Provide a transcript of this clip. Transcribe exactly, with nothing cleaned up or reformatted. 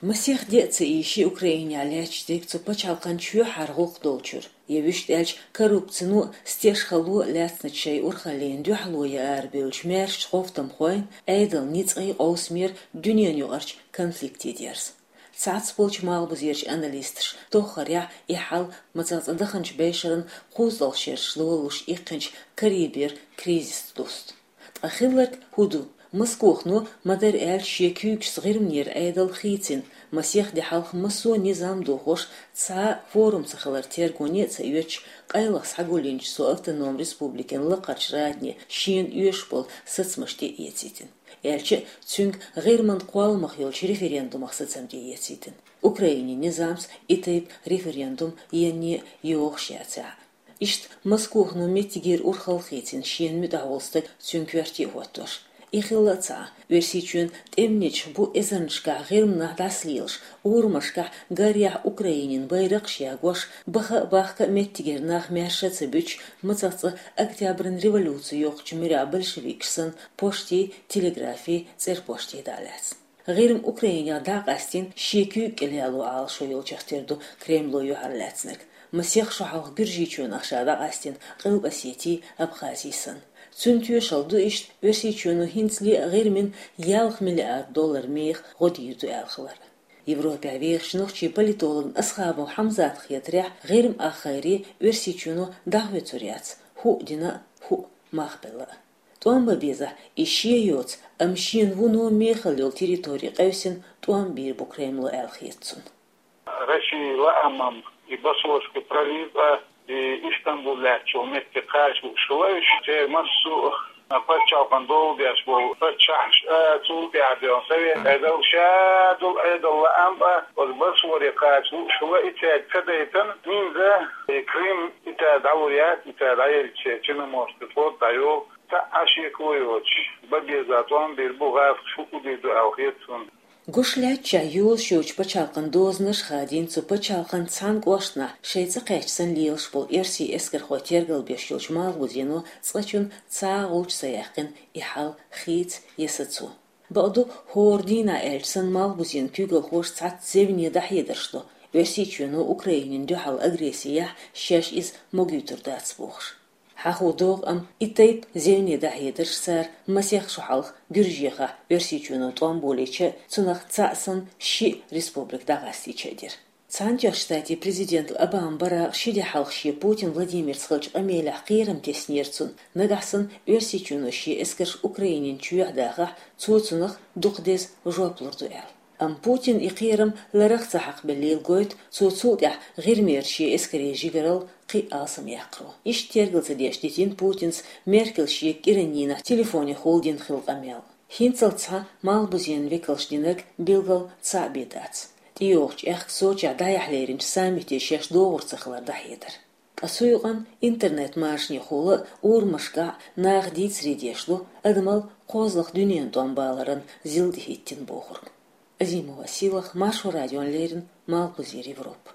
Масех де а ца ийши Украинехь лаьтташ дерг цу пачхьалкхан чоьхьара гӀуллакх долчуьра. Я вуьшта аьлча, коррупцино а, стешхало а лаьцначу шайн урхаллина дуьхьало ян арабевллачу маьршачу гӀовттамхойн, Ӏедалан ницкъийн къовсамера, дуьненан юкъарчу конфликте дерза. Цхьацца болчу малхбузерчу аналисташа тоххарехь и хьал, мацах цкъа даханчу бешаран кхузткъалгӀа шераш лолуш иккхинчу Карибера кризисца дуста. Ткъа хилларг хӀун ду? Москохано, ма-дарра аьлча, шен куьйгашца ГӀирманера Ӏедал хийцина, масех де хьалха массо а низам дохош, цхьа а форум ца хилар тергоне а ца оьцуш, къайлаха схьагулйинчу цу автономи республикин лакхарчу радане шена оьшуш болу сацамаш тӀеэцийтина. Аьлча а, цуьнга ГӀирман кхолламах йолчу референдумах сацам тӀеэцийтина. Украинин низамца и тайпа референдум енне а йогӀуш яцахь а. Иштта Москохано меттигера урхалла хийцина шена муьтӀахь волу стаг, цуьнан коьрте а хӀоттош. И хилла а ца Ӏа, Оьрсийчоьнан тӀеман нисбо эзарнашкахь ГӀирманехь дӀасалелаш, урамашкахь гарехь Украинин байракхаш ягош, баха а, бахка а меттигера нах маьрша а ца буьтуш, мацах цкъа Октябран революци йоккхучу муьрехь большевикаш санна, поштий, телеграфий, цӀерпоштий дӀа а лаьцна. ГӀирма Украинехь дӀа а къастийна, шен куьйга кӀел яло Ӏалашо йолчех тера ду Кремло юьхьарлаьцнарг. Масех шо хьалха Гуьржийчоьнах ша дӀакъастийна Къилба-Осетий, Абхазий санна. Цуьнан тоьшалла ду иштта Оьрсийчоьно хӀинцале а ГӀирмина ялх миллиард доллар меха гӀо дийр ду аьлла хилар. Европехь вехачу нохчийн политологна Асхабов Хьамзатна хетарехь, ГӀирма ахгӀайре Оьрсийчоьно дӀахоьцур яц, хӀуъа дина а, хӀуъа мах белла а. ТӀом бан безахь, и шен йоцу, амма шена вуно мехала йолу территори къевсина, тӀом бийр бу Кремло аьлла хета цунна. Россия лаамам и Босфорский пролив а, и Истанбул лаьттачу метте кхача лууш хилла уьш. Церан массо а пачхьалкхан дола деш болу паччахьаш а, цул тӀаьхьа бен совет Ӏедал, ша долу Ӏедал лаам а оцу Босфоре кхача лууш хилла, и цаьрга ца дайтина, хӀинца и Крым и цара дӀалур яц, и цара дӀаелча Черноморский флот дӀайолу. Цхьа а шеко йоцуш, бан беза тӀом бийр бу гӀазкхаша, хӀуъа дийр ду аьлла хета цунна. Гуш лаьттачохь йолуш йоцчу пачхьалкхан дозанаш хадийна цу пачхьалкхан цхьана кӀоштана шайн цӀа кхаьчча санна лелаш болу оьрсийн эскархой тергалбеш йолчу малхбузено цкъачунна цхьа а гӀулч ца яьккхина и хьал хийца я сацо. Бакъду, хӀора дийнахь аьлча санна, малхбузен куьйгалхоша цхьацца зевне дӀахьедарш до, Оьрсийчоьно Украинина дуьхьал агресси яхь, шаьш иза могуьйтур дац бохуш. Хьахо догӀу, амма и тайпа зевне дӀахьедарш цара масех шо хьалха Гуьржехахь Оьрсийчоьно тӀом болийча а, цунах цхьаъ санна шиъ республика дӀакъастийча а дира. Цхьаьнатоьхначу Штатийн президент Обама баракъ ши де хьалха шен Путин Владимирца хиллачу къамелехь кхерам теснера цунна, нагахь санна Оьрсийчоьно шен эскарш Украинин чоьхьа дахахь, цо цунах дукха деза жоп лур ду аьлла. Амма Путина и кхерам ларах ца хьакхабеллийла гойту цо цул тӀаьхьа ГӀирмера шен эскарийн жигаралла кхин а алсамъяккхаро. Иштта тергал ца деш дитина Путинца Меркель шега кӀиран дийнахь телефонехула дина хилла къамел. ХӀинццалц цхьа малхбузен векалша динарг билггал цхьаъ бен дац. ТӀейогӀучу аьхка Сочехь дӀаяхьа леринчу саммите шаьш догӀур ца хилар дӀахьедар. Ткъа цу юкъанна интернет-машанехула а урамашкахь а наха дийцаре деш ду, адамал кхозлагӀа дуьненан тӀом баларан зил тӀехӀиттина бохург. Азимова Сийлаха, Маршо радиона леррина, Малхбузера Европа.